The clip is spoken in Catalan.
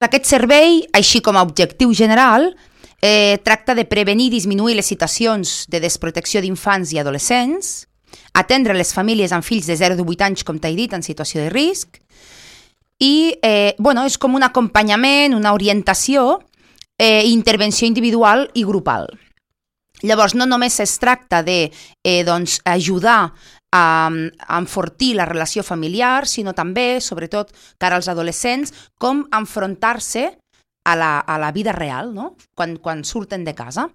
Aquest servei, així com a objectiu general, tracta de prevenir i disminuir les situacions de desprotecció d'infants i adolescents, atendre les famílies amb fills de 0 a 8 anys, com t'he dit, en situació de risc, i és com un acompanyament, una orientació, intervenció individual i grupal. Llavors, no només es tracta d'ajudar a enfortir la relació familiar, sinó també, sobretot, cara als adolescents, com enfrontar-se a la vida real, no? Quan surten de casa.